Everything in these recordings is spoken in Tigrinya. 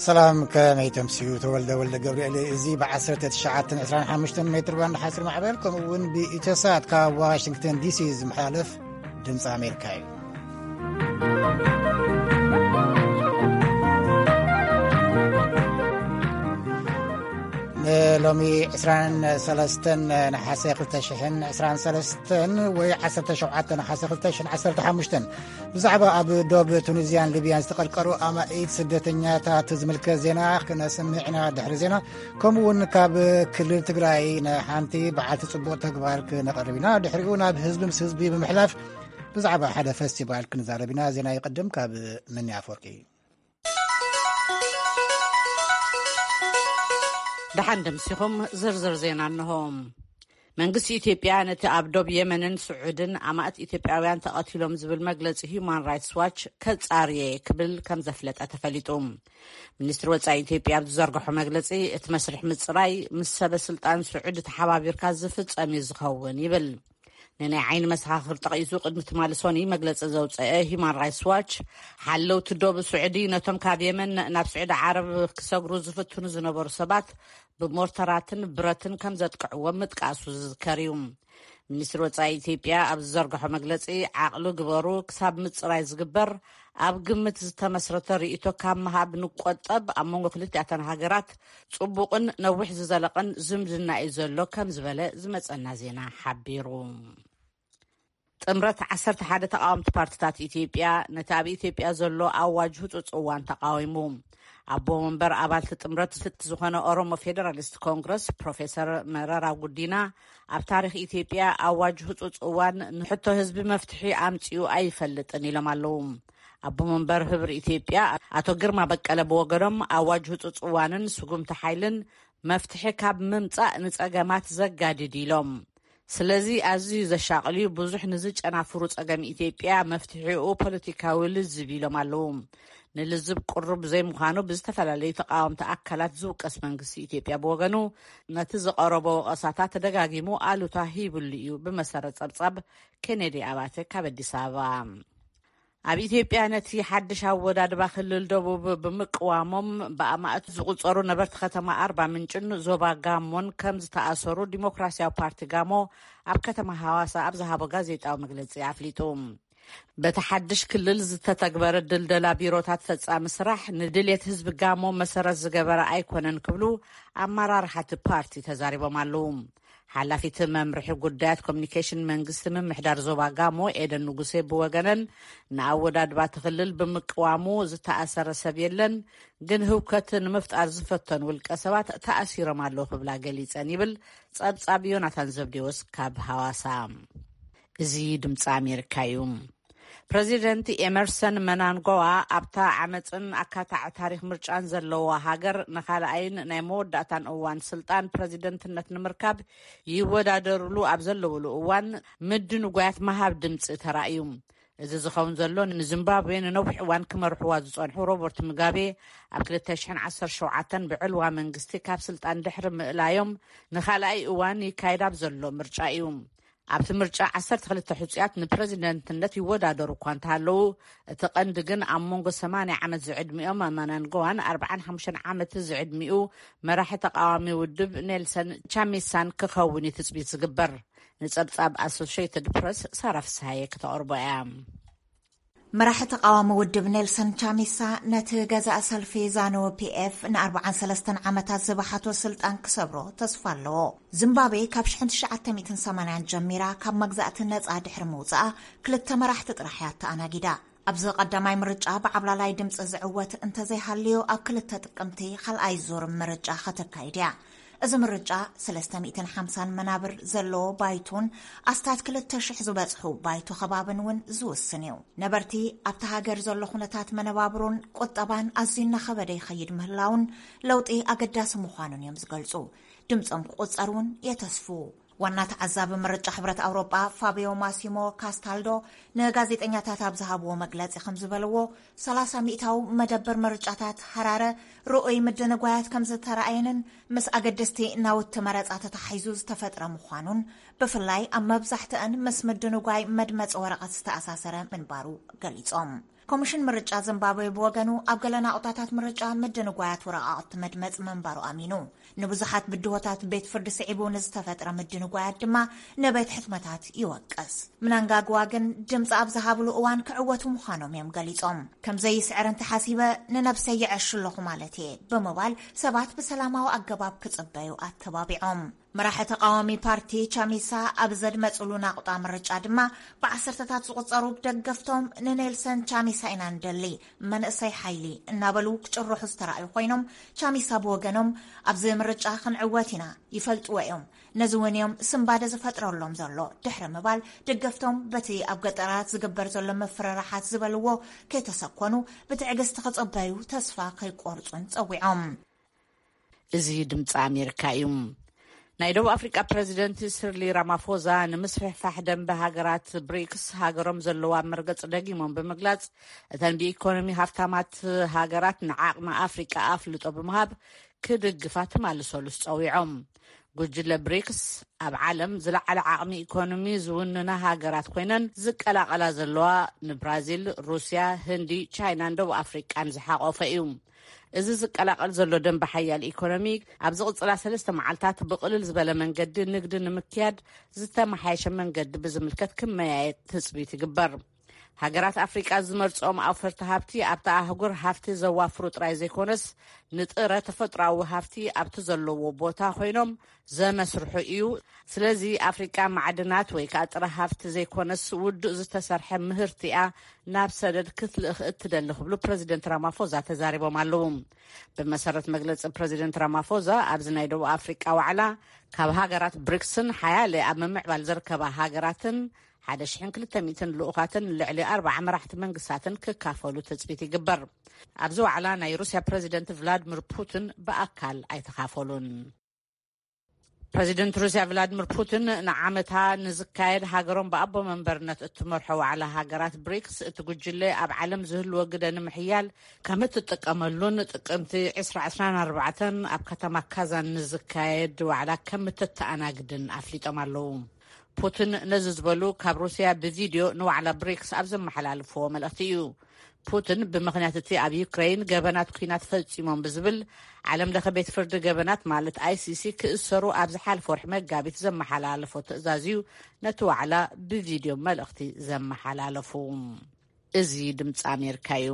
ሰላም፣ ከመይ ተምስዩ? ተወልደ ወልደ ገብርኤል። እዚ ብ1925 ሜትር ባንድ ሓፂር ማዕበል፣ ከምኡ እውን ብኢትዮሳት ካብ ዋሽንግተን ዲሲ ዝመሓላለፍ ድምፂ ኣሜሪካ እዩ። ንሎሚ 23 ነሓሰ 2023 ወይ 17 ነሓሰ 2015፣ ብዛዕባ ኣብ ዶብ ቱኒዝያን ሊብያን ዝተቐርቀሩ ኣማኢት ስደተኛታት ዝምልከት ዜና ክነስምዕ ኢና። ድሕሪ ዜና፣ ከምኡ እውን ካብ ክልል ትግራይ ንሓንቲ በዓልቲ ጽቡቕ ተግባር ክነቕርብ ኢና። ድሕሪኡ ናብ ህዝቢ ምስ ህዝቢ ብምሕላፍ ብዛዕባ ሓደ ፈስቲቫል ክንዛረብ ኢና። ዜና ይቕድም። ካብ መኒ ኣፈወርቂ። ደሓን ደምሲኹም። ዝርዝር ዜና እንሆ። መንግስቲ ኢትዮጵያ ነቲ ኣብ ዶብ የመንን ስዑድን ኣማእት ኢትዮጵያውያን ተቐቲሎም ዝብል መግለጺ ሂዩማን ራይትስ ዋች ከጻርየ ክብል ከም ዘፍለጠ ተፈሊጡ። ሚኒስትሪ ወጻኢ ኢትዮጵያ ኣብ ዝዘርግሖ መግለጺ፣ እቲ መስርሕ ምጽራይ ምስ ሰበ ስልጣን ስዑዲ ተሓባቢርካ ዝፍጸም እዩ ዝኸውን ይብል። ንናይ ዓይኒ መሰኻኽር ጠቒሱ ቅድሚ ትማሊ ሰኑይ መግለጺ ዘውጸአ ሂዩማን ራይትስ ዋች፣ ሓለውቲ ዶብ ስዑዲ ነቶም ካብ የመን ናብ ስዑዲ ዓረብ ክሰግሩ ዝፍትኑ ዝነበሩ ሰባት ብሞርተራትን ብረትን ከም ዘጥቅዕዎም ምጥቃሱ ዝዝከር እዩ። ሚኒስትሪ ወጻኢ ኢትዮጵያ ኣብ ዝዘርግሖ መግለጺ፣ ዓቕሊ ግበሩ፣ ክሳብ ምጽራይ ዝግበር ኣብ ግምት ዝተመስረተ ርእይቶ ካብ ምሃብ ንቆጠብ፣ ኣብ መንጎ ክልቲኣተን ሃገራት ጽቡቕን ነዊሕ ዝዘለቐን ዝምድና እዩ ዘሎ ከም ዝበለ ዝመጸና ዜና ሓቢሩ። ጥምረት 11 ተቓወምቲ ፓርቲታት ኢትዮጵያ ነቲ ኣብ ኢትዮጵያ ዘሎ ኣዋጅ ህጹጽ እዋን ተቓዊሙ። ኣቦ መንበር ኣባልቲ ጥምረት ዝፍት ዝኾነ ኦሮሞ ፌደራሊስት ኮንግረስ ፕሮፌሰር መረራ ጉዲና፣ ኣብ ታሪኽ ኢትዮጵያ ኣዋጅ ህጹጽ እዋን ንሕቶ ህዝቢ መፍትሒ ኣምጺኡ ኣይፈልጥን ኢሎም ኣለዉ። ኣቦ መንበር ህብር ኢትዮጵያ ኣቶ ግርማ በቀለ ብወገኖም፣ ኣዋጅ ህጹጽ እዋንን ስጉምቲ ሓይልን መፍትሒ ካብ ምምጻእ ንጸገማት ዘጋድድ ኢሎም። ስለዚ ኣዝዩ ዘሻቕል እዩ፣ ብዙሕ ንዝጨናፍሩ ጸገም ኢትዮጵያ መፍትሒኡ ፖለቲካዊ ልዝብ ኢሎም ኣለዉ። ንልዝብ ቅሩብ ዘይምዃኑ ብዝተፈላለዩ ተቃወምቲ ኣካላት ዝውቀስ መንግስቲ ኢትዮጵያ ብወገኑ፣ ነቲ ዝቐረቦ ወቐሳታት ተደጋጊሙ ኣሉታ ሂብሉ እዩ። ብመሰረት ጸብጻብ ኬኔዲ ኣባተ ካብ ኣዲስ ኣበባ። ኣብ ኢትዮጵያ ነቲ ሓድሽ ኣወዳድባ ክልል ደቡብ ብምቅዋሞም ብኣማእት ዝቁጸሩ ነበርቲ ከተማ ኣርባ ምንጭን ዞባ ጋሞን ከም ዝተኣሰሩ ዲሞክራሲያዊ ፓርቲ ጋሞ ኣብ ከተማ ሃዋሳ ኣብ ዝሃቦ ጋዜጣዊ መግለጺ ኣፍሊጡ። በቲ ሓድሽ ክልል ዝተተግበረ ድልደላ ቢሮታት ፈጻሚ ስራሕ ንድልየት ህዝቢ ጋሞ መሰረት ዝገበረ ኣይኮነን ክብሉ ኣመራርሓ እቲ ፓርቲ ተዛሪቦም ኣለዉ። ሓላፊት መምርሒ ጉዳያት ኮሚኒኬሽን መንግስቲ ምምሕዳር ዞባ ጋሞ ኤደን ንጉሴ ብወገነን፣ ንኣወዳድባ እቲ ክልል ብምቅዋሙ ዝተኣሰረ ሰብ የለን፣ ግን ህውከት ንምፍጣር ዝፈተኑ ውልቀ ሰባት ተኣሲሮም ኣለዉ ክብላ ገሊጸን ይብል ጸብጻብ ዮናታን ዘብዴዎስ ካብ ሃዋሳ። እዚ ድምፂ ኣሜሪካ እዩ። ፕረዚደንት ኤመርሰን መናንጎዋ ኣብታ ዓመፅን ኣካታዕ ታሪኽ ምርጫን ዘለዋ ሃገር ንኻልኣይን ናይ መወዳእታን እዋን ስልጣን ፕረዚደንትነት ንምርካብ ይወዳደርሉ ኣብ ዘለውሉ እዋን ምድንጓያት መሃብ ድምፂ ተራእዩ። እዚ ዝኸውን ዘሎ ንዚምባብዌ ንነዊሕ እዋን ክመርሕዋ ዝጸንሑ ሮበርት ሙጋቤ ኣብ 2017 ብዕልዋ መንግስቲ ካብ ስልጣን ድሕሪ ምእላዮም ንኻልኣይ እዋን ይካየድ ኣብ ዘሎ ምርጫ እዩ። ኣብቲ ምርጫ 12 ሕጹያት ንፕረዚደንትነት ይወዳደሩ እኳ እንተሃለዉ፣ እቲ ቀንዲ ግን ኣብ መንጎ 80 ዓመት ዝዕድሚኦም መናንጎዋን 45 ዓመት ዝዕድሚኡ መራሒ ተቃዋሚ ውድብ ኔልሰን ቻሚሳን ክኸውን እዩ ትጽቢት ዝግበር። ንጸብጻብ ኣሶሽየትድ ፕረስ ሳራ ፍስሃየ ክተቕርቦ እያ። መራሒ ተቃዋሚ ውድብ ኔልሰን ቻሚሳ ነቲ ገዛእ ሰልፊ ዛኑ ፒኤፍ ን43 ዓመታት ዝበሓቶ ስልጣን ክሰብሮ ተስፋ ኣለዎ። ዚምባብዌ ካብ 1980 ጀሚራ ካብ መግዛእቲ ነጻ ድሕሪ ምውጻኣ ክልተ መራሕቲ ጥራሕ እያ ተኣናጊዳ። ኣብዚ ቀዳማይ ምርጫ ብዓብላላይ ድምፂ ዝዕወት እንተዘይሃልዮ ኣብ ክልተ ጥቅምቲ ካልኣይ ዙር ምርጫ ከተካይድ እያ። እዚ ምርጫ 350 መናብር ዘለዎ ባይቶን ኣስታት 2,000 ዝበፅሑ ባይቶ ከባብን እውን ዝውስን እዩ። ነበርቲ ኣብቲ ሃገር ዘሎ ኩነታት መነባብሮን ቁጠባን ኣዝዩ እናኸበደ ይኸይድ ምህላውን ለውጢ ኣገዳሲ ምዃኑን እዮም ዝገልፁ። ድምፆም ክቁፀር እውን የተስፉ። ዋና ተዓዛቢ ምርጫ ሕብረት ኣውሮጳ ፋቢዮ ማሲሞ ካስታልዶ ንጋዜጠኛታት ኣብ ዝሃብዎ መግለፂ ከም ዝበልዎ፣ 30 ሚእታዊ መደበር ምርጫታት ሃራረ ርኡይ ምድንጓያት ከም ዝተረኣየንን ምስ ኣገደስቲ ናውቲ መረፃ ተተሓሒዙ ዝተፈጥረ ምዃኑን፣ ብፍላይ ኣብ መብዛሕትአን ምስ ምድንጓይ መድመፂ ወረቐት ዝተኣሳሰረ ምንባሩ ገሊፆም። ኮሚሽን ምርጫ ዚምባብዌ ብወገኑ፣ ኣብ ገለ ናቑጣታት ምርጫ ምድንጓያት ወረቓቕቲ መድመጺ ምንባሩ ኣሚኑ። ንብዙሓት ብድሆታት ቤት ፍርዲ ስዒቡ ንዝተፈጥረ ምድንጓያት ድማ ንቤት ሕትመታት ይወቅስ። ምናንጋግዋ ግን ድምፂ ኣብ ዝሃብሉ እዋን ክዕወቱ ምዃኖም እዮም ገሊጾም። ከም ዘይስዕር እንተሓሲበ ንነብሰይ ይዐሹ ኣለኹ ማለት እየ ብምባል ሰባት ብሰላማዊ ኣገባብ ክጽበዩ ኣተባቢዖም። መራሒ ተቃዋሚ ፓርቲ ቻሚሳ ኣብ ዘድመጽሉ ናቑጣ ምርጫ ድማ ብዓሰርተታት ዝቑጸሩ ደገፍቶም ንኔልሰን ቻሚሳ ኢና ንደሊ፣ መንእሰይ ሓይሊ እናበሉ ክጭርሑ ዝተራእዩ ኮይኖም፣ ቻሚሳ ብወገኖም ኣብዚ ምርጫ ክንዕወት ኢና፣ ይፈልጥዎ እዮም፣ ነዚ እውን እዮም ስንባደ ዝፈጥረሎም ዘሎ ድሕሪ ምባል፣ ደገፍቶም በቲ ኣብ ገጠራት ዝግበር ዘሎ መፍረራሓት ዝበልዎ ከይተሰኮኑ ብትዕግስቲ ክጸበዩ ተስፋ ከይቆርጹን ጸዊዖም። እዚ ድምፂ ኣሜሪካ እዩ። ናይ ደቡብ ኣፍሪቃ ፕረዚደንት ስርሊ ራማፎዛ ንምስፍሕፋሕ ደንበ ሃገራት ብሪክስ ሃገሮም ዘለዋ መርገፂ ደጊሞም ብምግላፅ፣ እተን ብኢኮኖሚ ሃፍታማት ሃገራት ንዓቕሚ ኣፍሪቃ ኣፍልጦ ብምሃብ ክድግፋ ትማሊ ሰሉስ ጸዊዖም። ጉጅለ ብሪክስ ኣብ ዓለም ዝለዓለ ዓቕሚ ኢኮኖሚ ዝውንና ሃገራት ኮይነን ዝቀላቐላ ዘለዋ ንብራዚል፣ ሩስያ፣ ህንዲ፣ ቻይናን ደቡብ ኣፍሪቃን ዝሓቆፈ እዩ። እዚ ዝቀላቐል ዘሎ ደንበ ሓያል ኢኮኖሚ ኣብ ዝቕጽላ ሰለስተ መዓልታት ብቕልል ዝበለ መንገዲ ንግዲ ንምክያድ ዝተመሓየሸ መንገዲ ብዝምልከት ክመያየጥ ትጽቢት ይግበር። ሃገራት ኣፍሪቃ ዝመርጽኦም ኣውፈርቲ ሃብቲ ኣብታ ኣህጉር ሃፍቲ ዘዋፍሩ ጥራይ ዘይኮነስ ንጥረ ተፈጥሮኣዊ ሃፍቲ ኣብቲ ዘለዎ ቦታ ኮይኖም ዘመስርሑ እዩ። ስለዚ ኣፍሪቃ ማዕድናት ወይ ከዓ ጥረ ሃፍቲ ዘይኮነስ ውዱእ ዝተሰርሐ ምህርቲ እያ ናብ ሰደድ ክትልእኽ እትደሊ ክብሉ ፕረዚደንት ራማፎዛ ተዛሪቦም ኣለዉ። ብመሰረት መግለፂ ፕረዚደንት ራማፎዛ ኣብዚ ናይ ደቡብ ኣፍሪቃ ዋዕላ ካብ ሃገራት ብሪክስን ሓያለ ኣብ ምምዕባል ዝርከባ ሃገራትን ሓደ ሽሕን ክልተ ሚእትን ልኡኻትን ልዕሊ ኣርባዓ መራሕቲ መንግስታትን ክካፈሉ ትጽቢት ይግበር። ኣብዚ ዋዕላ ናይ ሩስያ ፕረዚደንት ቭላድሚር ፑቲን ብኣካል ኣይተኻፈሉን። ፕረዚደንት ሩስያ ቭላድሚር ፑቲን ንዓመታ ንዝካየድ ሃገሮም ብኣቦ መንበርነት እትመርሖ ዋዕላ ሃገራት ብሪክስ እቲ ጉጅለ ኣብ ዓለም ዝህልዎ ግደ ንምሕያል ከም እትጥቀመሉን ጥቅምቲ ዕስራ ዕስራን ኣርባዕተን ኣብ ከተማ ካዛን ንዝካየድ ዋዕላ ከም እትተኣናግድን ኣፍሊጦም ኣለዉ። ፑቲን ነዚ ዝበሉ ካብ ሩስያ ብቪድዮ ንዋዕላ ብሪክስ ኣብ ዘመሓላልፍዎ መልእኽቲ እዩ። ፑቲን ብምኽንያት እቲ ኣብ ዩክሬን ገበናት ኲናት ፈጺሞም ብዝብል ዓለም ለኸ ቤት ፍርዲ ገበናት ማለት ኣይሲሲ ክእሰሩ ኣብ ዝሓለፈ ወርሒ መጋቢት ዘመሓላለፎ ትእዛዝ እዩ ነቲ ዋዕላ ብቪድዮ መልእኽቲ ዘመሓላለፉ። እዚ ድምፂ ኣሜሪካ እዩ።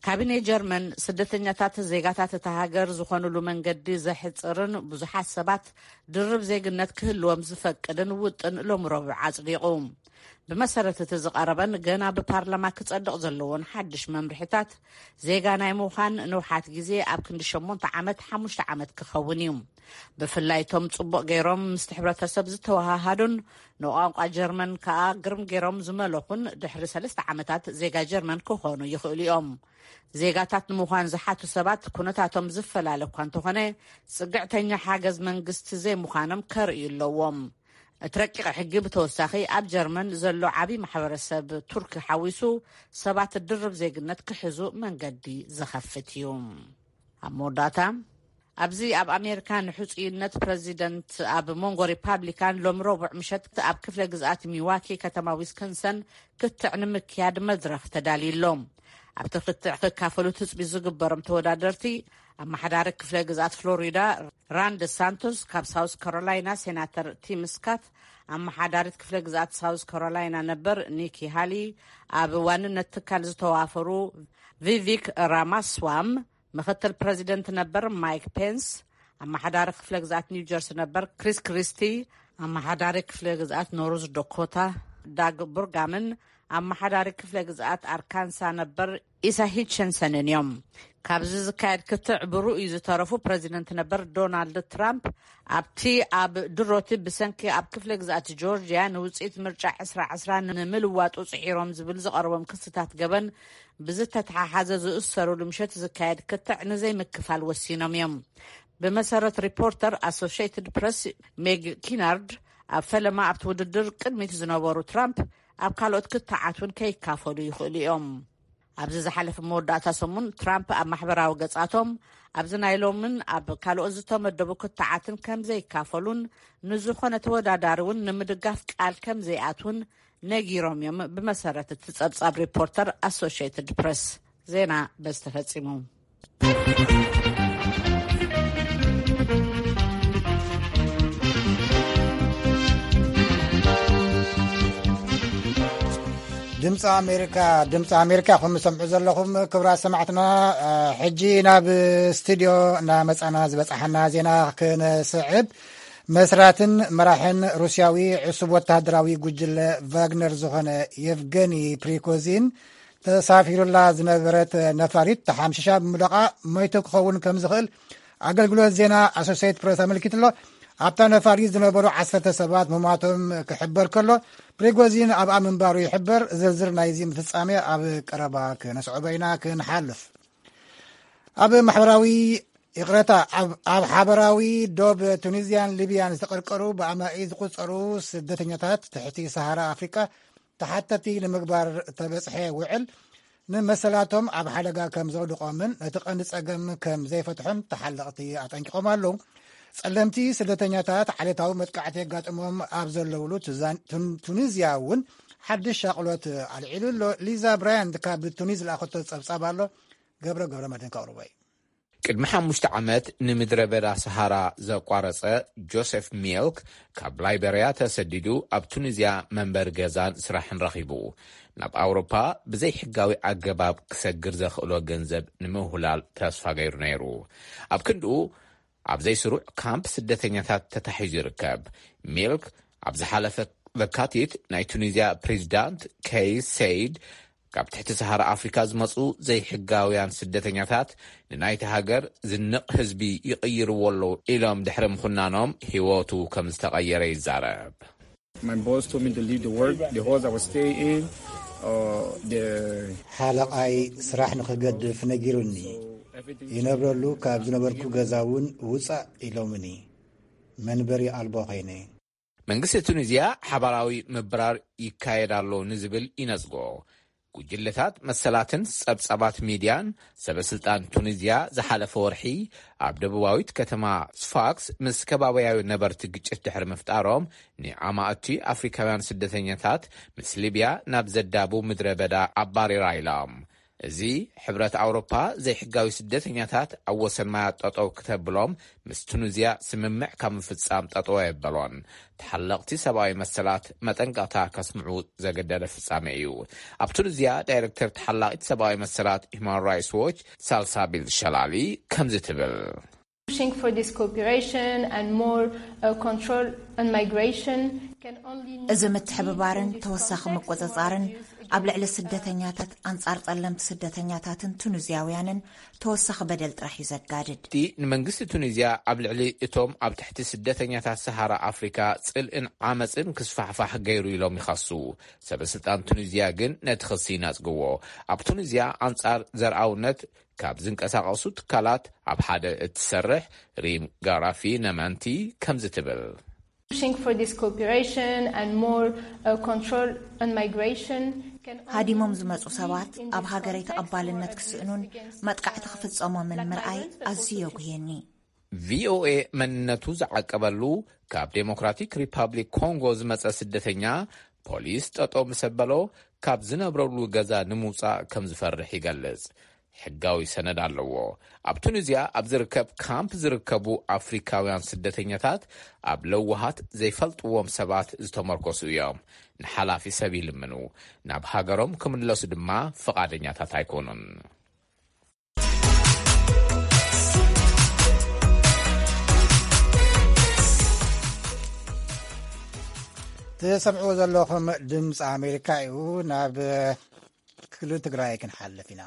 ካቢኔ ጀርመን ስደተኛታት ዜጋታት እታ ሃገር ዝኾኑሉ መንገዲ ዘሕፅርን ብዙሓት ሰባት ድርብ ዜግነት ክህልዎም ዝፈቅድን ውጥን ሎሚ ረቡዕ ኣፅዲቑ። ብመሰረት እቲ ዝቐረበን ገና ብፓርላማ ክጸድቕ ዘለዎን ሓድሽ መምርሒታት፣ ዜጋ ናይ ምዃን ንውሓት ግዜ ኣብ ክንዲ ሸሞንተ ዓመት ሓሙሽተ ዓመት ክኸውን እዩ። ብፍላይ እቶም ጽቡቕ ገይሮም ምስቲ ሕብረተሰብ ዝተወሃሃዱን ንቋንቋ ጀርመን ከኣ ግርም ገይሮም ዝመለኹን ድሕሪ ሰለስተ ዓመታት ዜጋ ጀርመን ክኾኑ ይኽእሉ እዮም። ዜጋታት ንምዃን ዝሓቱ ሰባት ኩነታቶም ዝፈላለ እኳ እንተኾነ፣ ጽግዕተኛ ሓገዝ መንግስቲ ዘይምዃኖም ከርእዩ ኣለዎም። እቲ ረቂቕ ሕጊ ብተወሳኺ ኣብ ጀርመን ዘሎ ዓቢ ማሕበረሰብ ቱርኪ ሓዊሱ ሰባት ድርብ ዜግነት ክሕዙ መንገዲ ዝኸፍት እዩ። ኣብ መወዳእታ፣ ኣብዚ ኣብ ኣሜሪካ ንሕጹይነት ፕረዚደንት ኣብ መንጎ ሪፓብሊካን ሎም ረቡዕ ምሸት ኣብ ክፍለ ግዝኣት ሚዋኪ ከተማ ዊስኮንሰን ክትዕ ንምክያድ መድረኽ ተዳልዩ ኣሎ። ኣብቲ ክትዕ ክካፈሉ ትጽቢት ዝግበሮም ተወዳደርቲ፣ ኣመሓዳሪ ክፍለ ግዝኣት ፍሎሪዳ ራን ደሳንቶስ፣ ካብ ሳውስ ካሮላይና ሴናተር ቲም ስካት፣ ኣመሓዳሪት ክፍለ ግዝኣት ሳውስ ካሮላይና ነበር ኒኪ ሃሊ፣ ኣብ ዋንነት ትካል ዝተዋፈሩ ቪቪክ ራማስዋም፣ ምኽትል ፕረዚደንት ነበር ማይክ ፔንስ፣ ኣመሓዳሪ ክፍለ ግዝኣት ኒው ጀርሲ ነበር ክሪስ ክሪስቲ፣ ኣመሓዳሪ ክፍለ ግዝኣት ኖርዝ ዶኮታ ዳግ ቡርጋምን ኣመሓዳሪ ክፍለ ግዝኣት ኣርካንሳ ነበር ኢሳ ሂችንሰንን እዮም። ካብዚ ዝካየድ ክትዕ ብርኡይ ዝተረፉ ፕረዚደንት ነበር ዶናልድ ትራምፕ፣ ኣብቲ ኣብ ድሮቲ ብሰንኪ ኣብ ክፍለ ግዝኣት ጆርጅያ ንውፅኢት ምርጫ ዕስራ ዕስራ ንምልዋጡ ፅዒሮም ዝብል ዝቐረቦም ክስታት ገበን ብዝተተሓሓዘ ዝእሰሩሉ ምሸት ዝካየድ ክትዕ ንዘይምክፋል ወሲኖም እዮም። ብመሰረት ሪፖርተር ኣሶሽየትድ ፕረስ ሜግ ኪናርድ፣ ኣብ ፈለማ ኣብቲ ውድድር ቅድሚት ዝነበሩ ትራምፕ ኣብ ካልኦት ክትዓት እውን ከይካፈሉ ይኽእሉ እዮም። ኣብዚ ዝሓለፈ መወዳእታ ሰሙን ትራምፕ ኣብ ማሕበራዊ ገጻቶም ኣብዚ ናይ ሎምን ኣብ ካልኦት ዝተመደቡ ክትዓትን ከም ዘይካፈሉን ንዝኾነ ተወዳዳሪ እውን ንምድጋፍ ቃል ከም ዘይኣትውን ነጊሮም እዮም። ብመሰረት እቲ ጸብጻብ ሪፖርተር ኣሶሽየትድ ፕረስ፣ ዜና በዚ ተፈጺሙ። ድምፂ ኣሜሪካ፣ ድምፂ ኣሜሪካ ኢኹም ትሰምዑ ዘለኹም። ክቡራት ሰማዕትና፣ ሕጂ ናብ ስቱድዮ እናመፃና ዝበፃሓና ዜና ክንስዕብ። መስራትን መራሕን ሩስያዊ ዕሱብ ወተሃደራዊ ጉጅለ ቫግነር ዝኾነ የቭገኒ ፕሪኮዚን ተሳፊሩላ ዝነበረት ነፋሪት ተሓምሽሻ ብምውዳቓ መይቱ ክኸውን ከም ዝኽእል ኣገልግሎት ዜና ኣሶሴይት ፕረስ ኣመልኪቱ ኣሎ። ኣብታ ነፋሪት ዝነበሩ ዓሰርተ ሰባት ምሟቶም ክሕበር ከሎ፣ ፕሪጎዚን ኣብኣ ምንባሩ ይሕበር። ዝርዝር ናይዚ ፍጻሜ ኣብ ቀረባ ክነስዕቦ ኢና ክንሓልፍ። ኣብ ማሕበራዊ ይቕረታ፣ ኣብ፣ ኣብ ሓበራዊ ዶብ ቱኒዝያን ሊብያን ዝተቐርቀሩ ብኣማኢ ዝቑጸሩ ስደተኛታት ትሕቲ ሰሃራ ኣፍሪቃ ተሓተቲ ንምግባር እተበጽሐ ውዕል ንመሰላቶም ኣብ ሓደጋ ከም ዘውድቖምን ነቲ ቀንዲ ጸገም ከም ዘይፈትሖን ተሓለቕቲ ኣጠንቂቖም ኣለዉ። ጸለምቲ ስደተኛታት ዓሌታዊ መጥቃዕቲ የጋጥሞም ኣብ ዘለውሉ ቱዛን-፣ ቱን-፣ ቱኒዝያ እውን ሓድሽ ሻቕሎት ኣልዒሉ ኣሎ። ሊዛ ብራያንት ካብ ቱኒዝ ዝለኣኸቶ ጸብጻብ ኣሎ፣ ገብረ ገብረ መድህን ከቕርቦ እዩ። ቅድሚ ሓሙሽተ ዓመት ንምድረ በዳ ሰሃራ ዘቋረጸ ጆሴፍ ሚልክ፣ ካብ ላይበርያ ተሰዲዱ ኣብ ቱኒዝያ መንበሪ ገዛን ስራሕን ረኺቡ፣ ናብ ኣውሮፓ ብዘይሕጋዊ ኣገባብ ክሰግር ዘኽእሎ ገንዘብ ንምውህላል ተስፋ ገይሩ ነይሩ። ኣብ ክንድኡ፣ ኣብ ዘይስሩዕ ካምፕ ስደተኛታት ተታሒዙ ይርከብ። ሚልክ ኣብ ዝሓለፈ ለካቲት ናይ ቱኒዝያ ፕሬዚዳንት ከይስ ሰይድ፣ ካብ ትሕቲ ሰሃራ ኣፍሪካ ዝመጹ ዘይሕጋውያን ስደተኛታት ንናይቲ ሃገር ዝንቕ ህዝቢ ይቕይርዎ ኣለዉ ኢሎም ድሕሪ ምኹናኖም፣ ህይወቱ ከም ዝተቐየረ ይዛረብ። My boss told me to leave the work, the house I was staying in, uh, the ሓለቓይ ስራሕ ንኽገድፍ ነጊሩኒ። ይነብረሉ ካብ ዝነበርኩ ገዛ እውን ውጻእ ኢሎምኒ። መንበሪ ኣልቦ ኸይነ። መንግስቲ ቱኒዝያ ሓባራዊ ምብራር ይካየድ ኣሎ ንዝብል ይነጽጎ። ጉጅለታት መሰላትን ጸብጻባት ሚድያን ሰበ ስልጣን ቱኒዝያ ዝሓለፈ ወርሒ ኣብ ደቡባዊት ከተማ ስፋክስ ምስ ከባቢያዊ ነበርቲ ግጭት ድሕሪ ምፍጣሮም፣ ንኣማእቲ ኣፍሪካውያን ስደተኛታት ምስ ሊብያ ናብ ዘዳቡ ምድረ በዳ ኣባሪራ ኢሎም። እዚ ሕብረት ኣውሮፓ ዘይሕጋዊ ስደተኛታት ኣብ ወሰን ማያት ጠጠው ክተብሎም ምስ ቱኒዝያ ስምምዕ ካብ ምፍጻም ጠጠው ኣየበሎን። ተሓለቕቲ ሰብኣዊ መሰላት መጠንቀቕታ ከስምዑ ዘገደደ ፍጻሜ እዩ። ኣብ ቱኒዝያ ዳይሬክተር ተሓላቒት ሰብኣዊ መሰላት ሁማን ራይትስ ዎች ሳልሳቢል ሸላሊ ከምዚ ትብል። Pushing for this cooperation and more, uh, control on migration can only እዚ ምትሕብባርን ተወሳኺ ምቁጽጻርን ኣብ ልዕሊ ስደተኛታት፣ ኣንጻር ጸለምቲ ስደተኛታትን ቱኒዝያውያንን ተወሳኺ በደል ጥራሕ እዩ ዘጋድድ። እቲ ንመንግስቲ ቱኒዝያ ኣብ ልዕሊ እቶም ኣብ ትሕቲ ስደተኛታት ሰሃራ ኣፍሪካ ጽልእን ዓመፅን ክስፋሕፋሕ ገይሩ ኢሎም ይኸሱ። ሰበ ስልጣን ቱኒዝያ ግን ነቲ ክሲ ይነጽግዎ። ኣብ ቱኒዝያ ኣንጻር ዘርኣውነት ካብ ዝንቀሳቐሱ ትካላት ኣብ ሓደ እትሰርሕ ሪም ጋራፊ ነመንቲ ከምዚ ትብል። Pushing for this cooperation and more, uh, control on migration can only ሃዲሞም ዝመጹ ሰባት ኣብ ሃገረይ ተቐባልነት ክስእኑን መጥቃዕቲ ክፍጸሞምን ምርኣይ ኣዝዩ የጉህየኒ። ቪኦኤ መንነቱ ዝዓቀበሉ ካብ ዴሞክራቲክ ሪፓብሊክ ኮንጎ ዝመጸ ስደተኛ፣ ፖሊስ ጠጠው ምስ ኣበሎ፣ ካብ ዝነብረሉ ገዛ ንምውጻእ ከም ዝፈርሕ ይገልጽ። ሕጋዊ ሰነድ ኣለዎ። ኣብ ቱኒዝያ ኣብ ዝርከብ ካምፕ ዝርከቡ ኣፍሪካውያን ስደተኛታት ኣብ ለዋሃት ዘይፈልጥዎም ሰባት ዝተመርኮሱ እዮም። ንሓላፊ ሰብ ይልምኑ። ናብ ሃገሮም ክምለሱ ድማ ፍቓደኛታት ኣይኮኑን። ትሰምዕዎ ዘለኹም ድምፂ ኣሜሪካ እዩ። ናብ ክልል ትግራይ ክንሓልፍ ኢና።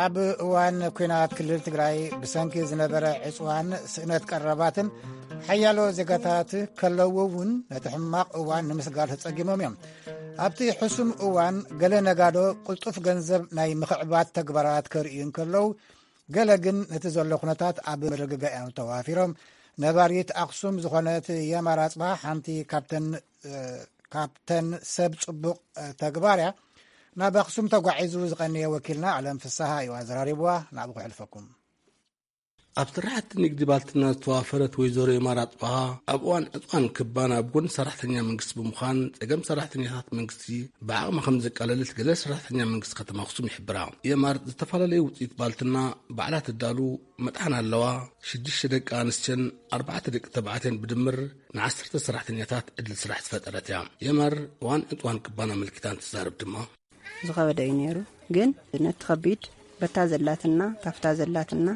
ኣብ እዋን ኲናት ክልል ትግራይ ብሰንኪ ዝነበረ ዕፅዋን ስእነት ቀረባትን ሓያሎ ዜጋታት ከለዉ እውን ነቲ ሕማቕ እዋን ንምስጋር ተጸጊሞም እዮም። ኣብቲ ሕሱም እዋን ገለ ነጋዶ ቅልጡፍ ገንዘብ ናይ ምኽዕባት ተግባራት ከርእዩ እንከለዉ፣ ገለ ግን ነቲ ዘሎ ኩነታት ኣብ ምርግጋእ እዮም ተዋፊሮም። ነባሪት ኣኽሱም ዝኾነት የማር ኣጽብሃ ሓንቲ ካብተን፣ እ፣ ካብተን ሰብ ጽቡቕ፣ እ፣ ተግባር እያ። ናብ ኣኽሱም ተጓዒዙ ዝቐነየ ወኪልና ኣለም ፍስሃ እዩ ኣዘራሪብዋ። ናብኡ ክሕልፈኩም። ኣብ ስራሕቲ ንግዲ ባልትና ዝተዋፈረት ወይዘሮ የማር ኣጽብሃ፣ ኣብ እዋን ዕጽዋን ክባን ኣብ ጎኒ ሰራሕተኛ መንግስቲ ብምዃን፣ ጸገም ሰራሕተኛታት መንግስቲ ብዓቕማ ከም ዘቃለለት ገለ ሰራሕተኛ መንግስቲ ከተማ ኣኽሱም ይሕብራ። የማር ዝተፈላለዩ ውጽኢት ባልትና ባዕላ ትዳሉ መጥሓን ኣለዋ። ሽዱሽተ ደቂ ኣንስትዮን ኣርባዕተ ደቂ ተባዕትዮን ብድምር ንዓሰርተ ሰራሕተኛታት ዕድል ስራሕ ዝፈጠረት እያ። የማር እዋን ዕጽዋን ክባን ኣመልኪታ እንትዛረብ ድማ፣ ዝኸበደ እዩ ነይሩ። ግን ነቲ ከቢድ በታ ዘላትና፣ ካብታ ዘላትና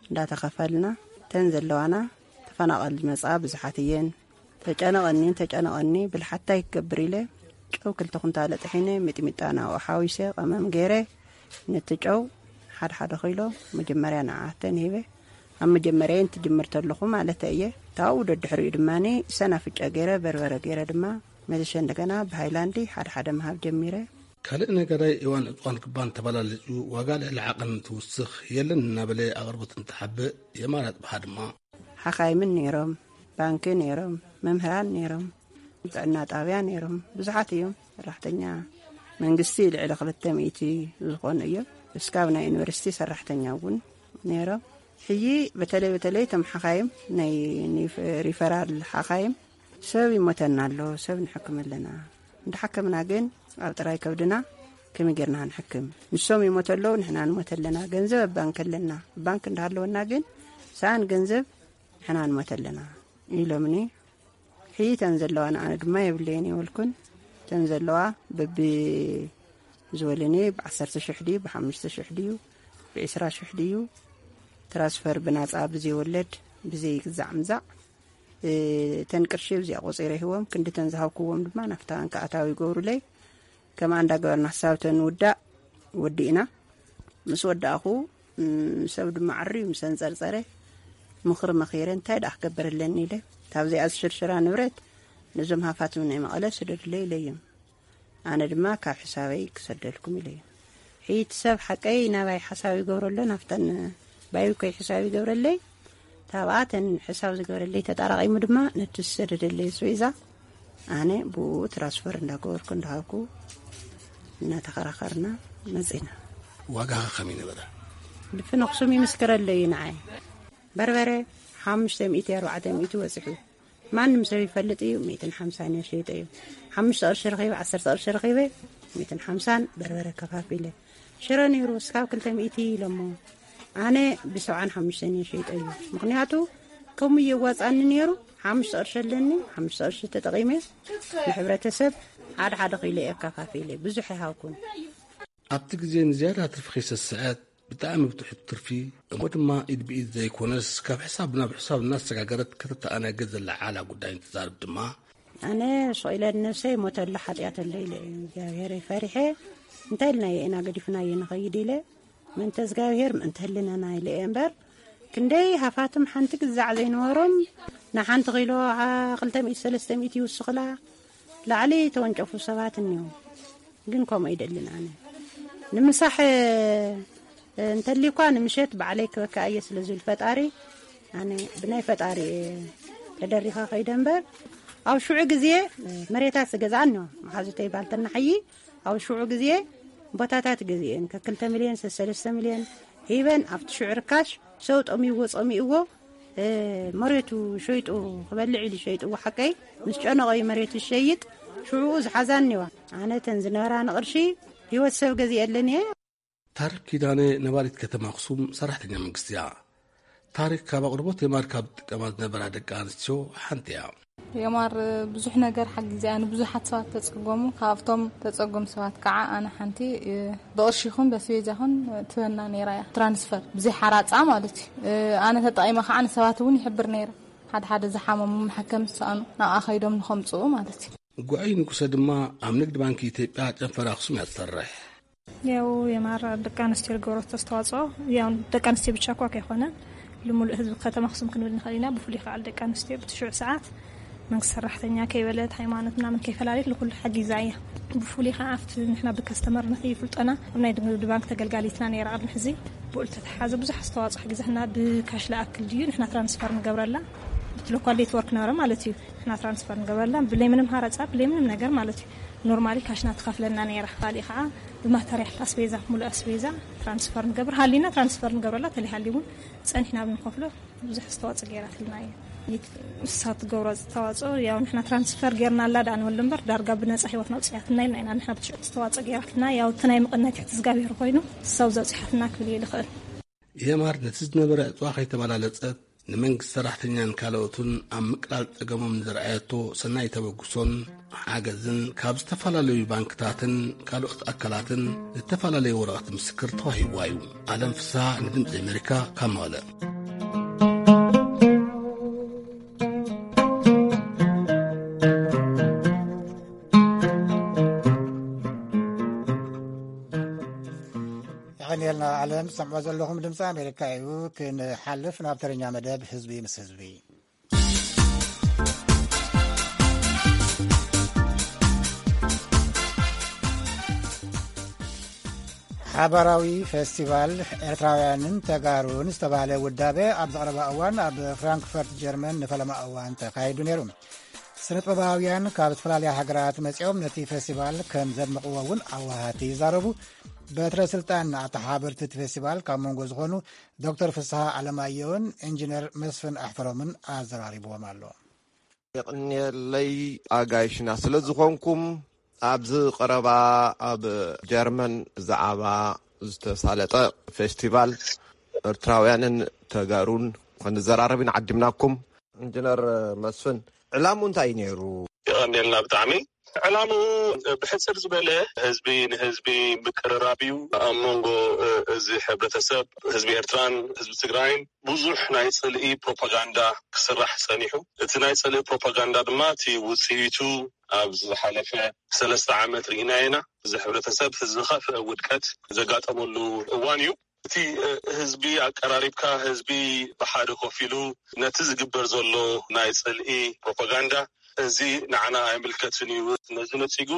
እንዳተኸፈልና፣ ተን ዘለዋና ተፈናቐል ዝመጻ ብዙሓት እየን። ተጨነቐኒ፣ ተጨነቐኒ፣ ብልሓታይ ክገብር ኢለ፣ ጨው ክልተ ኩንታለ ጥሒነ፣ ሚጥሚጣ ናብኡ ሓዊሰ፣ ቀመም ገይረ፣ ነቲ ጨው ሓደ ሓደ ኪሎ መጀመርያ ንዓተን ሂበ። ኣብ መጀመርያ እንትጅምር ተለኹ ማለት እየ። ታብኡ ደድሕሪኡ ድማ ሰናፍጨ ገይረ፣ በርበረ ገይረ ድማ፣ መልሸ እንደገና ብሃይላንዲ ሓደ ሓደ ምሃብ ጀሚረ። ካልእ ነጋዳይ እዋን ዕጽዋን ክባን ተበላሊጹ፣ ዋጋ ልዕሊ ዓቐን እንትውስኽ የለን እናበለ ኣቕርቦት እንትሓብእ፣ የማር ኣጽብሃ ድማ፣ ሓኻይምን ነይሮም፣ ባንኪ ነይሮም፣ መምህራን ነይሮም፣ ጥዕና ጣብያ ነይሮም፣ ብዙሓት እዮም። ሰራሕተኛ መንግስቲ ልዕሊ ክልተ ሚእቲ ዝኾኑ እዮም። እስካብ ናይ ዩኒቨርሲቲ ሰራሕተኛ እውን ነይሮም። ሕጂ በተለይ በተለይ እቶም ሓኻይም፣ ናይ ኒፍ-፣ ሪፈራል ሓኻይም፣ ሰብ ይሞተና ኣሎ፣ ሰብ ንሕክም ኣለና። እንዳሓከምና ግን ኣብ ጥራይ ከብድና ከመይ ጌርና ክንሕክም? ንሶም ይሞቱ ኣለዉ፣ ንሕና ንሞት ኣለና። ገንዘብ ኣብ ባንክ ኣለና፣ ባንክ እንዳሃለወና ግን ሰኣን ገንዘብ ንሕና ንሞት ኣለና ኢሎምኒ። ሕይተን ዘለዋ ንኣነ ድማ የብለየን የበልኩን። እተን ዘለዋ በቢ ዝበለኒ ብ10,000 ድዩ፣ ብ5,000 ድዩ፣ ብ20,000 ድዩ፣ ትራንስፈር ብናጻ ብዘይወለድ፣ ብዘይግዛዕ ምዛዕ፣ እ፣ እተን ቅርሺ ብዚኣ ቆጺረ ይህቦም። ክንድተን ዝሃብክዎም ድማ ናብታ ባንክ ኣታዊ ይገብሩለይ። ከምኣ እንዳገበርና ክሳብ እተን ንውዳእ ወዲእና። ምስ ወዳእኹ፣ እም፣ ሰብ ድማ ዓርዩ ምስ ኣንጸርጸረ፣ ምኽሪ መኺረ፣ እንታይ ደኣ ክገብር ኣለኒ ኢለ፣ ካብዚኣ ዝሽርሽራ ንብረት ነዞም ሃፋትም ናይ መቐለ ስደዱለይ ኢለዮም። ኣነ ድማ ካብ ሕሳበይ ክሰደልኩም ኢለዮም። ሕይቲ ሰብ ሓቀይ ናባይ ሓሳብ ይገብሮ ኣሎ፣ ናብተን ባዩኮይ ሕሳብ ይገብረለይ። ታብኣተን ሕሳብ ዝገበረለይ ተጣራቒሙ ድማ ነቲ ዝሰደደለይ ኣስቤዛ ኣነ ብኡ ትራንስፈር እንዳገበርኩ እንዳሃብኩ እናተኸራኸርና መጺና። ዋጋ ከ ከመይ ነበረ? ድፍን ኣኽሱም ይምስክረለይ እዩ ንዓይ። በርበረ ሓሙሽተ ሚእቲ ኣርባዕተ ሚእቲ ወጺሑ። ማንም ሰብ ይፈልጥ እዩ፣ ሚእትን ሓምሳን እየ ሸይጠ እዩ። ሓሙሽተ ቅርሺ ረኺበ፣ ዓሰርተ ቅርሺ ረኺበ፣ ሚእትን ሓምሳን በርበረ ከፋፊለ። ሽረ ነይሩ እስካብ ክልተ ሚእቲ ኢሎሞ። ኣነ ብሰብዓን ሓሙሽተን እየ ሸይጠ እዩ። ምኽንያቱ ከምኡ እየዋጻኒ ነይሩ። ሓሙሽተ ቅርሺ ኣለኒ፣ ሓሙሽተ ቅርሺ ተጠቒመ ንሕብረተሰብ ሓደ ሓደ ኪሎ እየ ኣከፋፊለ። ብዙሕ ኣይሃብኩን። ኣብቲ ግዜ ንዝያዳ ትርፊ ከይሰስዐት ብጣዕሚ ብትሑት ትርፊ፣ እሞ ድማ ኢድ ብኢድ ዘይኮነስ ካብ ሕሳብ ናብ ሕሳብ እናሰጋገረት ከተተኣናግድ ዘለዓላ ጉዳይ እንትዛረብ ድማ፣ ኣነ ስቕ ኢለ ንነብሰይ ሞተ ኣሎ ሓጢኣት ኣሎ ኢለ እየ እግዚኣብሔር ፈሪሐ። እንታይ ኢልናዮ ኢና ገዲፍናዮ ንኸይድ ኢለ፣ ምእንተ እግዚኣብሔር ምእንተ ህልናና ኢለ እየ እምበር፣ ክንደይ ሃፋትም ሓንቲ ግዛዕ ዘይነበሮም ንሓንቲ ኪሎ ዓ-፣ ክልተ ሚእቲ ሰለስተ ሚእቲ ይውስኽላ ላዕሊ ተወንጨፉ ሰባት እኒው። ግን ከምኡ ኣይደልን ኣነ። ንምሳሕ፣ እ፣ እንተሊኳ ንምሸት ባዕለይ ክበካ እየ ስለ ዝብል ፈጣሪ፣ ኣነ ብናይ ፈጣሪ እየ ተደሪኻ ከይደ እምበር፣ ኣብ ሽዑ ግዜ፣ እ፣ መሬታት ዝገዝኣን እኒዋ መሓዙተይ ባልተና ሓዪ፣ ኣብ ሽዑ ግዜ ቦታታት ገዚኤን ከክልተ ሚልዮን፣ ሰለስተ ሚልዮን ሂበን ኣብቲ ሽዑ ርካሽ ሰብ ጠሚዎ ጸሚእዎ፣ እ፣ መሬቱ ሸይጡ ክበልዕ ኢሉ ሸይጥዎ ሓቀይ ምስ ጨነቐዩ መሬቱ ዝሸይጥ ሽዑኡ ዝሓዛን እኒዋ። ኣነ ተን ዝነበራ ንቕርሺ ህይወት ሰብ ገዚኤለን እየ። ታሪክ ኪዳነ ነባሪት ከተማ ኣኽሱም ሰራሕተኛ መንግስቲ እያ። ታሪክ ካብ ኣቕርቦት የማር ካብ ዝጥቀማ ዝነበራ ደቂ ኣንስትዮ ሓንቲ እያ። የማር ብዙሕ ነገር ሓጊዛ እያ ንብዙሓት ሰባት ተጸጎሙ። ካብቶም ተጸጎም ሰባት ከዓ ኣነ ሓንቲ፣ እ፣ ብቕርሺ ይኹን በስቤዛ ይኹን ትበና ነይራ እያ። ትራንስፈር ብዘይ ሓራጻ ማለት እዩ። እ፣ ኣነ ተጠቒመ ከዓ ንሰባት እውን ይሕብር ነይረ። ሓደ ሓደ ዝሓመሙ መሓከም ዝሰኣኑ ናብኣ ከይዶም ንኸምጽኡ ማለት እዩ። ጉዐይ ንጉሰ ድማ ኣብ ንግድ ባንክ ኢትዮጵያ ጨንፈር ኣኽሱም እያ ትሰርሕ። ያው የማር ደቂ ኣንስትዮ ዝገብረቶ ኣስተዋፅኦ፣ ያው ደቂ ኣንስትዮ ብቻ እኳ ከይኮነ፣ ልሙሉእ ህዝቢ ከተማ ኣኽሱም ክንብል ንኽእል ኢና። ብፍሉይ ከዓ ደቂ ኣንስትዮ ብትሽዑ ሰዓት መንግስቲ ሰራሕተኛ ከይበለት፣ ሃይማኖት ምናምን ከይፈላለየት ንኩሉ ሓጊዛ እያ። ብፍሉይ ከዓ ኣብቲ ንሕና ብከስተመር ንኽይፍልጠና ኣብ ናይ ንግዲ ባንክ ተገልጋሊትና ነይራ። ቅድሚ ሕዚ ብኡ ዝተተሓዘ ብዙሕ ኣስተዋፅኦ ሓጊዛትና። ብካሽ ለኣክል ድዩ ንሕና ትራንስፈር ንገብረላ? እቲ ሎካል ኔትወርክ ነበረ ማለት እዩ። ንሕና ትራንስፈር ንገበረላ ብለይ ምንም ሃረፃ፣ ብለይ ምንም ነገር ማለት እዩ። ኖርማሊ ካሽና ትኸፍለና ነይራ። ካሊእ ከዓ ብማተርያል ኣስቤዛ፣ ሙሉእ ኣስቤዛ ትራንስፈር ንገብር፣ ሃሊና ትራንስፈር ንገብረላ፣ ተለይሃልዩ እውን ፀኒሕና ብንኸፍሎ ብዙሕ ዝተዋፅኦ ገይራትልና እዩ። ንሳ ትገብሮ ዝተዋፅኦ ያው ንሕና ትራንስፈር ገይርናላ ደኣ ንበል እምበር ዳርጋ ብነፃ ህይወትና ኣውፅያትና ኢልና ኢና። ንሕና ብትሽዑ ዝተዋፅኦ ገይራትና፣ ያው እቲ ናይ መቐነቲ ትዝጋቢሩ ኮይኑ ሰው ዘውፅሓትና ክብል እየ ልኽእል። የማር ነቲ ዝነበረ ዕፅዋ ከይተበላለፀት፣ ንመንግስቲ ሰራሕተኛን ካልኦትን ኣብ ምቅላል ፀገሞም ንዘርኣየቶ ሰናይ ተበግሶን ሓገዝን ካብ ዝተፈላለዩ ባንክታትን ካልኦት ኣካላትን ዝተፈላለዩ ወረቐት ምስክር ተዋሂብዋ እዩ። ኣለም ፍስሃ ንድምፂ ኣሜሪካ ካብ መቐለ። የቐንየልና። ኣለም ትሰምዖ ዘለኹም ድምፂ ኣሜሪካ እዩ። ክንሓልፍ ናብ ተረኛ መደብ ህዝቢ ምስ ህዝቢ። ሓባራዊ ፌስቲቫል ኤርትራውያንን ተጋሩን ዝተባህለ ውዳበ ኣብ ዝቐረባ እዋን ኣብ ፍራንክፈርት ጀርመን ንፈለማ እዋን ተኻይዱ ነይሩ። ስነጥበባውያን ካብ ዝተፈላለያ ሃገራት መጺኦም ነቲ ፌስቲቫል ከም ዘድመቕዎ እውን ኣዋሃቲ ይዛረቡ። በትረ ስልጣን ኣተሓባበርቲ እቲ ፌስቲቫል ካብ መንጎ ዝኾኑ ዶክተር ፍስሃ ኣለማየሁን ኢንጂነር መስፍን ኣሕፈሮምን ኣዘራሪብዎም ኣሎ። የቕንየለይ ኣጋይሽና ስለ ዝኾንኩም። ኣብዚ ቀረባ ኣብ ጀርመን ብዛዕባ ዝተሳለጠ ፌስቲቫል ኤርትራውያንን ተጋሩን ክንዘራረብ ኢና ዓዲምናኩም። ኢንጂነር መስፍን፣ ዕላምኡ እንታይ እዩ ነይሩ? የቐንየልና ብጣዕሚ። ዕላምኡ ብሕፅር ዝበለ ህዝቢ ንህዝቢ ምቅርራብ እዩ። ኣብ መንጎ እዚ ሕብረተሰብ፣ ህዝቢ ኤርትራን ህዝቢ ትግራይን ብዙሕ ናይ ፅልኢ ፕሮፓጋንዳ ክስራሕ ፀኒሑ። እቲ ናይ ፅልኢ ፕሮፓጋንዳ ድማ እቲ ውፅኢቱ ኣብ ዝሓለፈ ሰለስተ ዓመት ርኢናዮ ኢና። እዚ ሕብረተሰብ ዝኸፍአ ውድቀት ዘጋጠመሉ እዋን እዩ። እቲ ህዝቢ ኣቀራሪብካ፣ ህዝቢ ብሓደ ኮፍ ኢሉ ነቲ ዝግበር ዘሎ ናይ ፅልኢ ፕሮፓጋንዳ፣ እዚ ንዓና ኣይምልከትን እዩ፣ ነዚ ነፂጉ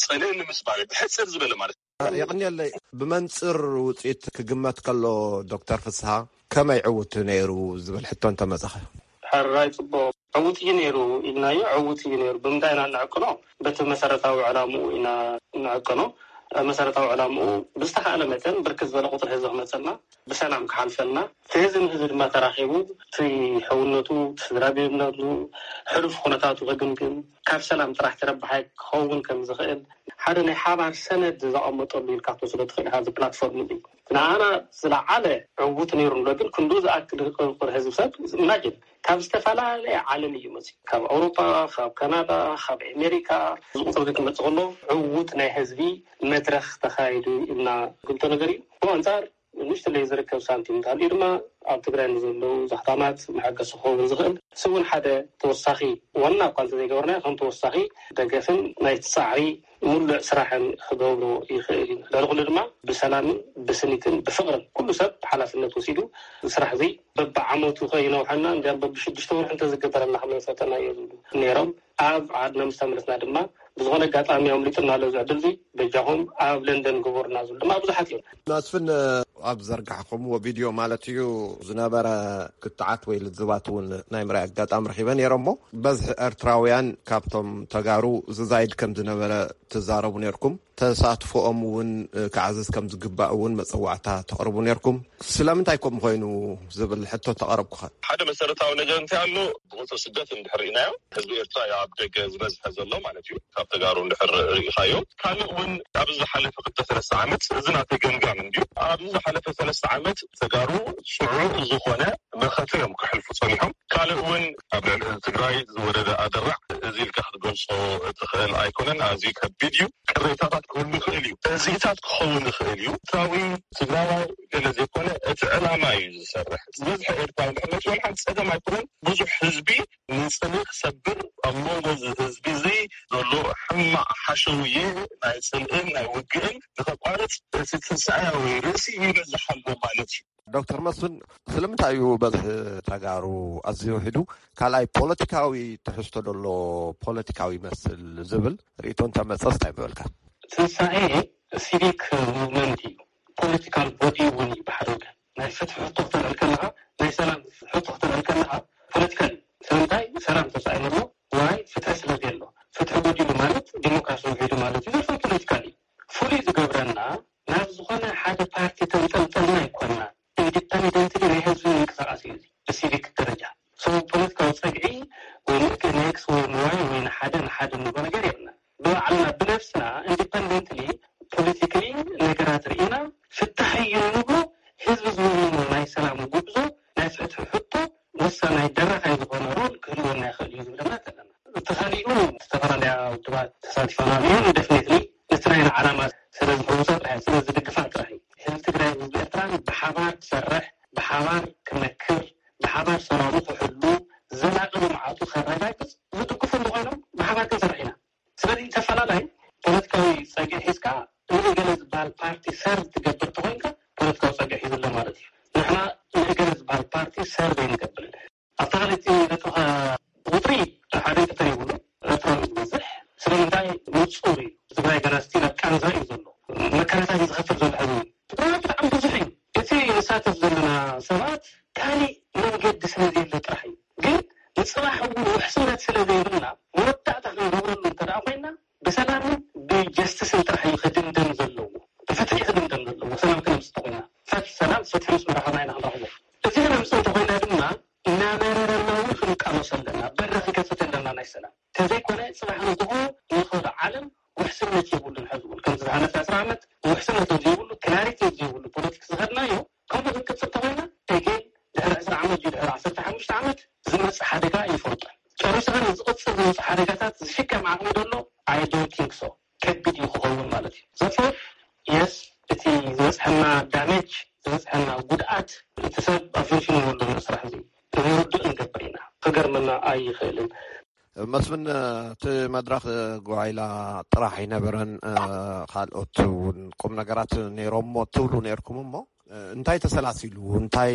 ፅልኢ ንምስባር እዩ፣ ብሕፅር ዝበለ ማለት እዩ። የቕንየለይ። ብመንፅር ውፅኢት ክግመት ከሎ ዶክተር ፍስሃ ከመይ ዕውት ነይሩ ዝብል ሕቶ እንተመፀኸ? ሕራይ፣ ፅቡቕ። ዕውት እዩ ነይሩ ኢልናዮ። ዕውት እዩ ነይሩ። ብምንታይ ኢና እንዕቅኖ? በቲ መሰረታዊ ዕላምኡ ኢና እንዕቅኖ። መሰረታዊ ዕላምኡ ብዝተኻእለ መጠን ብርክት ዝበለ ቁፅሪ ህዝቢ ክመፀልና፣ ብሰላም ክሓልፈልና፣ እቲ ህዝቢ ንህዝቢ ድማ ተራኺቡ እቲ ሕውነቱ፣ እቲ ስድራ ቤትነቱ፣ ሕሉፍ ኩነታቱ ክግምግም፣ ካብ ሰላም ጥራሕ ተረባሓይ ክኸውን ከም ዝኽእል ሓደ ናይ ሓባር ሰነድ ዘቐመጠሉ ኢልካ ክትወስዶ ትኽእል ኢኻ። እዚ ፕላትፎርም እዚ ንኣና ዝለዓለ ዕውት ነይሩ ንብሎ፣ ግን ክንዱ ዝኣክል ቁፅሪ ህዝቢ ሰብ ኢማጅን ካብ ዝተፈላለየ ዓለም እዩ መፅዩ። ካብ ኣውሮፓ፣ ካብ ካናዳ፣ ካብ ኣሜሪካ፣ እዚ ቁፅሪ እዚ ክመፅእ ከሎ ዕውት ናይ ህዝቢ መድረኽ ተኻይዱ ኢልና ግምቶ ነገር እዩ። ብኡ ኣንፃር ንእሽተለይ ዝርከብ ሳንቲም እንተሃልዩ ድማ ኣብ ትግራይ ንዘለዉ ዛሕታማት መሐገሲ ክኸውን ዝኽእል፣ ንሱ እውን ሓደ ተወሳኺ፣ ዋና እኳ እንተዘይገበርናዮ ከም ተወሳኺ ደገፍን ናይ ፃዕሪ ምሉዕ ስራሕን ክገብሮ ይኽእል እዩ። ልዕሊ ኩሉ ድማ ብሰላምን ብስኒትን ብፍቕርን ኩሉ ሰብ ሓላፍነት ወሲዱ ስራሕ እዚ በብዓመቱ ከይነውሐና፣ እንዲያም በብሽዱሽተ ወርሒ እንተዝግበረልና ከም ዝፈተናዮ ዝብሉ ነይሮም። ኣብ ዓድና ምስ ተመለስና ድማ ብዝኾነ ኣጋጣሚ ኣምሊጡና ኣሎ እዚ ዕድል እዚ፣ በጃኹም ኣብ ለንደን ግበሩና ዝብሉ ድማ ብዙሓት እዮም። መስፍን፣ ኣብ ዘርጋሕኩምዎ ቪድዮ ማለት እዩ ዝነበረ ክትዓት ወይ ልዝባት እውን ናይ ምርኣይ ኣጋጣሚ ረኺበ ነይረ እሞ፣ በዝሒ ኤርትራውያን ካብቶም ተጋሩ ዝዛይድ ከም ዝነበረ ትዛረቡ ነይርኩም። ተሳትፎኦም እውን ክዓዝዝ ከም ዝግባእ እውን መፀዋዕታ ተቕርቡ ነይርኩም። ስለምንታይ ከምኡ ኮይኑ ዝብል ሕቶ ተቐረብኩኸ? ሓደ መሰረታዊ ነገር እንታይ ኣሎ፣ ብቁፅሪ ስደት እንድሕር ርኢናዮ፣ ህዝቢ ኤርትራ እዩ ኣብ ደገ ዝበዝሐ ዘሎ ማለት እዩ። ካብ ተጋሩ እንድሕር ርኢኻዮ፣ ካልእ እውን ኣብዚ ዝሓለፈ ክልተ ሰለስተ ዓመት፣ እዚ ናተይ ገምጋም እንድዩ፣ ኣብዚ ዝሓለፈ ሰለስተ ዓመት ተጋሩ ፅዑቕ ዝኾነ መኸተ እዮም ከሕልፉ ፀኒሖም። ካልእ እውን ኣብ ልዕሊ ህዝቢ ትግራይ ዝወረደ ኣደራዕ እዚ ኢልካ ክትገልፆ ትኽእል ኣይኮነን፣ ኣዝዩ ከቢድ እዩ። ቅሬታታት ክህሉ ይኽእል እዩ፣ ተዚኢታት ክኸውን ይኽእል እዩ። ኤርትራዊ ትግራዋይ ገለ ዘይኮነ፣ እቲ ዕላማ እዩ ዝሰርሕ። ዝበዝሐ ኤርትራዊ ንሕመት ይበል ሓንቲ ፀገም ኣይኮነን። ብዙሕ ህዝቢ ንፅልኢ ክሰብር፣ ኣብ መንጎ እዚ ህዝቢ እዚ ዘሎ ሕማቕ ሓሸውየ ናይ ፅልእን ናይ ውግእን ንኸቋርፅ እቲ ትንሳኤያዊ ርእሲ ይበዝሕ ኣሎ ማለት እዩ። ዶክተር መስፍን፣ ስለምንታይ እዩ በዝሒ ተጋሩ ኣዝዩ ውሒዱ? ካልኣይ፣ ፖለቲካዊ ትሕዝቶ ደሎ ፖለቲካዊ ይመስል ዝብል ርእይቶ እንተመጸስ እንታይ ምበልካ? ትንሳኤ ሲቪክ ሙቭመንት እዩ፣ ፖለቲካል ቦዲ እውን እዩ። ብሓደ ወገን ናይ ፍትሒ ሕቶ ክተልዕል ከለኻ፣ ናይ ሰላም ሕቶ ክተልዕል ከለኻ ፖለቲካል እዩ። ስለምንታይ? ሰላም ተሳኢኑሎ። ዋይ? ፍትሒ ስለ ዘየሎ። ፍትሒ ጎዲሉ ማለት ዲሞክራሲ ውሒዱ ማለት እዩ። ዘርፈ ፖለቲካል እዩ። ፍሉይ ዝገብረና ናብ ዝኾነ ሓደ ፓርቲ ተንጠልጠልና ኣይኮንና። ኢንዲፐንደንትሊ ናይ ህዝቢ ምንቅስቃስ እዩ እዚ ብሲቪክ ደረጃ። ሶ ፖለቲካዊ ጸግዒ ወይ ንእክ ንኤክስ ወይ ንዋይ ወይ ንሓደ ንሓደ ንብሎ ነገር የብልና። ብባዕልና ብነብስና ኢንዲፐንደንትሊ ፖለቲካሊ ነገራት ርኢና ፍታሕ እዩ እንብሎ። ህዝቢ ዝወነኖ ናይ ሰላም ጉዕዞ ናይ ፍትሒ ሕቶ ወሳናይ ደራኻይ ዝኾነ ሮል ክህልወና ይኽእል እዩ ዝብል እምነት ኣለና። እቲ ካሊኡ ዝተፈላለያ ውድባት ተሳቲፈናሉ እየን። ደፍኔትሊ ነቲ ናይና ዓላማ ስለ ዝሕውሳ ጥራሕ ስለ ዝድግፋ ጥራሕ እዩ። ህዝቢ ትግራይ ህዝቢ ኤርትራን ብሓባር ክሰርሕ ብሓባር ክመክር ብሓባር ሰላሙ ክሕሉ ዘላቂ ልምዓቱ ከረጋግፅ ዝድግፉ እንተኾይኖም ብሓባር ክንሰርሕ ኢና። ስለዚ ተፈላላይ ፖለቲካዊ ጸግዒ ሒዝካ ንእገለ ዝበሃል ፓርቲ ሰርቭ ትገብር ተኾይንካ ፖለቲካዊ ጸግዒ ሒዙ ኣሎ ማለት እዩ። ንሕና ንእገለ ዝበሃል ፓርቲ ሰርቭ ኣይንገብርን። ኣብታ ካልእቲ ነጥብኻ ቁፅሪ ሓደ እንተተሪቡሉ ኤርትራዊ ዝበዝሕ ስለምንታይ ንፁር እዩ። ትግራይ ገና ስቲል ኣብ ቃንዛ እዩ ዘሎ። መከራታት እዩ ዝኸፍል ዘሎ ሕዚ እውን። ትግራይ ብጣዕሚ ብዙሕ እዩ። እቲ ንሳተፍ ዘለና ሰባት ካሊእ መንገዲ ስለ ዘየለ ጥራሕ እዩ። ግን ንፅባሕ እውን ውሕስነት ስለ ዘይብልና መወዳእታ ክንገብረሉ እንተ ደኣ ኮይና ብሰላምን ብጀስቲስን ጥራሕ እዩ ክድምደም ዘለዎ። ብፍትሒ ክድምደም ዘለዎ። ሰላም ክነምፅእ እንተኮይና ፈት ሰላም ፍትሒ ምስ መራኸብና ኢና ክንረኽቦ። እዚ ክነምፅእ እንተኮይና ድማ እናመረረና እውን ክንቃለሶ ኣለና። በሪ ክንከፍት ኣለና ናይ ሰላም። ተዘይኮነ ፅባሕ ንግሆ ንኸዶ ዓለም ውሕስነት የብሉን። ሕዚ እውን ከምዚ ዝሓለፈ ዕስራ ዓመት ውሕስነት ዘይብሉ ክላሪቲ ዘይብሉ ፖለቲክስ ዝኸድናዮ ከምኡ ክንቅፅል ተኮይና እግል ድሕሪ ዕስራ ዓመት ድዩ ድሕሪ ዓሰርተ ሓሙሽተ ዓመት ዝመፅእ ሓደጋ ይፈልጦ። ጨሪሱ ግን ዝቕፅል ዝመፅእ ሓደጋታት ዝሽከም ዓቕሚ ደሎ? I don't think so። ከቢድ እዩ ክኸውን ማለት እዩ። ዘፎር የስ እቲ ዝበፅሐና ዳሜጅ ዝበፅሐና ጉድኣት እቲ ሰብ ኣፈንፊኑ ወደሎ ስራሕ እዚ ንርድእ ንገብር ኢና። ክገርመና ኣይኽእልን። መስፍን፣ እቲ መድረኽ ጓይላ ጥራሕ ኣይነበረን፣ ካልኦት እውን ቁም ነገራት ነይሮሞ ትብሉ ነይርኩም እሞ እንታይ ተሰላሲሉ? እንታይ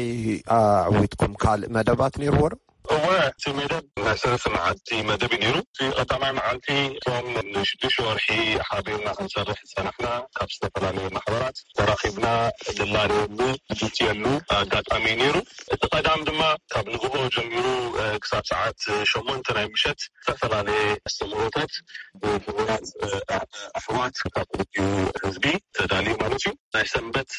ኣዕዊትኩም? ካልእ መደባት ነይርዎ ዶ? እወ፣ እቲ መደብ ናይ ሰለስተ መዓልቲ መደብ እዩ ነይሩ። እቲ ቀዳማይ መዓልቲ እቶም ንሽዱሽተ ወርሒ ሓቢርና ክንሰርሕ ዝጸናሕና ካብ ዝተፈላለየ ማሕበራት ተራኺብና ንላለየሉ ዝዝትየሉ ኣጋጣሚ እዩ ነይሩ። እቲ ቀዳም ድማ ካብ ንግሆ ጀሚሩ ክሳብ ሰዓት ሸሞንተ ናይ ምሸት ዝተፈላለየ ኣስተምህሮታት ብምሁራት ኣሕዋት ካብ ክልቲኡ ህዝቢ ተዳልዩ ማለት እዩ። ናይ ሰንበት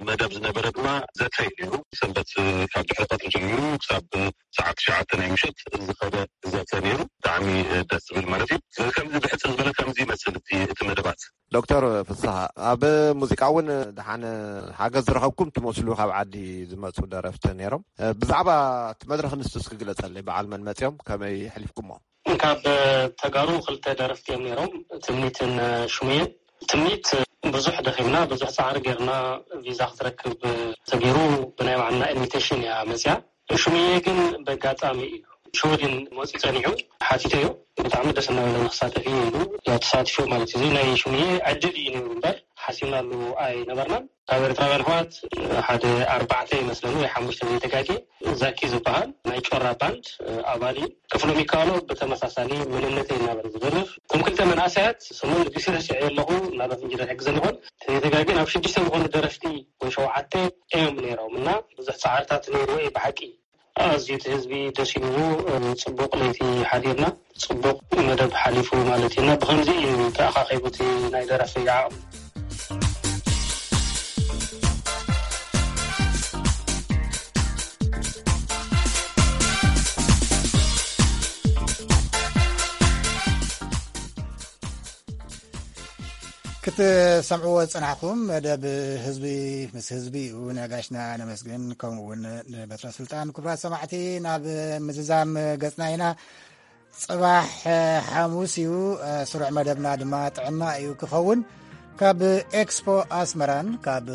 መደብ ዝነበረ ድማ ዘተ እዩ ነይሩ። ሰንበት ካብ ድሕሪ ቀትሪ ጀሚሩ ክሳብ ሰዓት ትሽዓተ ናይ ምሸት ዝኸደ ዘተ ነይሩ። ብጣዕሚ ደስ ዝብል ማለት እዩ። ስለዚ ከምዚ ብሕፅር ዝበለ ከምዚ ይመስል እቲ መደባት። ዶክተር ፍስሃ፣ ኣብ ሙዚቃ እውን ደሓን ሓገዝ ዝረኸብኩም ትመስሉ፣ ካብ ዓዲ ዝመፁ ደረፍቲ ነይሮም። ብዛዕባ እቲ መድረኽ ንሱ እስኪ ግለፀለይ፣ በዓል መን መፅኦም፣ ከመይ ኣሕሊፍኩሞ? ካብ ተጋሩ ክልተ ደረፍቲ እዮም ነይሮም፣ ትምኒትን ሽሙየን። ትምኒት ብዙሕ ደኺምና፣ ብዙሕ ፃዕሪ ጌርና ቪዛ ክትረክብ ተገይሩ ብናይ ባዕልና ኢንቪቴሽን እያ መፅያ። ሽሙየ ግን በጋጣሚ እዩ ሽወደን መፂኡ ፀኒሑ። ሓቲተዮ፣ ብጣዕሚ ደስ እናበለኒ ክሳተፍ እዩ ኢሉ፣ ያው ተሳቲፉ ማለት እዩ። እዚ ናይ ሽሙየ ዕድል እዩ ነይሩ እምበር ሓሲብናሉ ኣይነበርናን። ካብ ኤርትራውያን ኣሕዋት ሓደ ኣርባዕተ ይመስለኒ ወይ ሓሙሽተ ዘይተጋጌ፣ ዛኪ ዝበሃል ናይ ጮራ ባንድ ኣባል እዩ። ክፍሎም ይከኣሎ ብተመሳሳሊ መንነተይ እናበለ ዝደርፍ። እቶም ክልተ መንእሰያት ስሞም ንግሲ ረሲዐ ኣለኹ፣ ምናልባት እንጂ ሕግዘን ይኾን ተዘይተጋጌ፣ ናብ ሽዱሽተ ዝኾኑ ደረፍቲ ወይ ሸውዓተ እዮም ነይሮም እና ብዙሕ ፃዕርታት ነይርዎ እዩ ብሓቂ። ኣዝዩ እቲ ህዝቢ ደስ ኢልዎ፣ ጽቡቕ ለይቲ ሓዲርና፣ ጽቡቕ መደብ ሓሊፉ ማለት እዩ። እና ብኸምዚ እዩ ተኣኻኺቡ እቲ ናይ ደራሲ ዓቕሚ። ክትሰምዕዎ ዝጸናሕኩም መደብ ህዝቢ ምስ ህዝቢ እዩ። ነጋሽና ነመስግን፣ ከምኡ እውን ንበትረ ስልጣን። ክቡራት ሰማዕቲ፣ ናብ ምዝዛም ገጽና ኢና። ጽባሕ ሓሙስ እዩ። ስሩዕ መደብና ድማ ጥዕና እዩ ክኸውን። ካብ ኤክስፖ ኣስመራን ካብ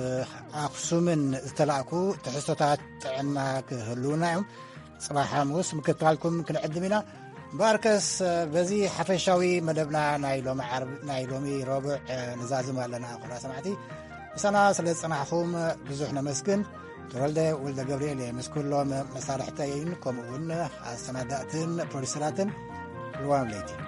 ኣኽሱምን ዝተላእኩ ትሕዝቶታት ጥዕና ክህልውና እዮም። ጽባሕ ሓሙስ ምክትታልኩም ክንዕድም ኢና። እምበኣርከስ በዚ ሓፈሻዊ መደብና ናይ ሎሚ ዓርብ፣ ናይ ሎሚ ረቡዕ ንዛዝም ኣለና። ክቡራት ሰማዕቲ፣ ምሳና ስለ ዝጸናሕኩም ብዙሕ ነመስግን። ተወልደ ወልደ ገብርኤል እየ፣ ምስ ኩሎም መሳርሕተይን ከምኡ እውን ኣሰናዳእትን ፕሮዲሰራትን። ልዋም ለይቲ።